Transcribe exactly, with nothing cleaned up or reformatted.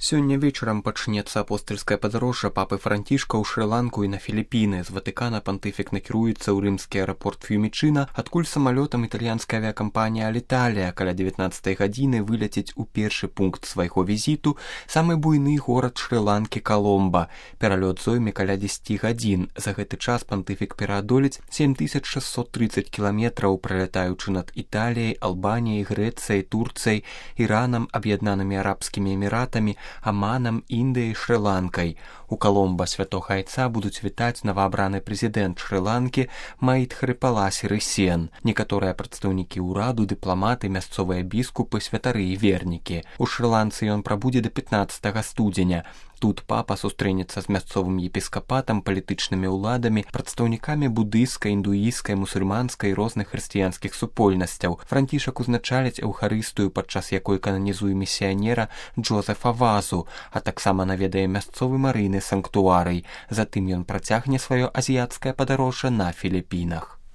Сёння вечарам пачнецца апостальскае падарожжа папы Францішка ў Шры-Ланку і на Філіпіны. З Ватыкана пантыфік накіруецца ў рымскі аэрапорт Фьюмічына, адкуль самалётам італьянская авіякампанія Аліталія каля дзевятнаццатай гадзіны выляціць у першы пункт свайго візіту самы буйны горад Шры-Ланкі Каломба. Пералёт зойме каля дзесяці гадзін. За гэты час пантыфік пераадолець сем тысяч шэсцьсот трыццаць кіламетраў, пралятаючы над Італіяй, Албаніяй, Грэцыяй, Турцыяй, Іранам, Аб'яднанымі Арабскімі Эміратамі, Аманам, Індыяй, Шры-Ланкай. У Каломба святога айца будуць вітаць новаабраны прэзідэнт Шры-Ланкі Маітхрыпала Сірысен, некаторыя прадстаўнікі ўраду, дыпламаты, мясцовыя біскупы, святары і вернікі. У Шры-Ланцы ён прабудзе да пятнаццатага студзеня. Тут папа сустрэнецца з мясцовым епіскапатам, палітычнымі ўладамі, прадстаўнікамі будыйскай, індуісцкай, мусульманскай і розных хрысціянскіх супольнасцяў. Францішак узначаліць эўхарыстыю, падчас якой кананізуе місіянера Джозефа Вазу, а таксама наведае мясцовы марыйны санктуарый. Затым ён працягне сваё азіяцкае падарожжа на Філіпінах.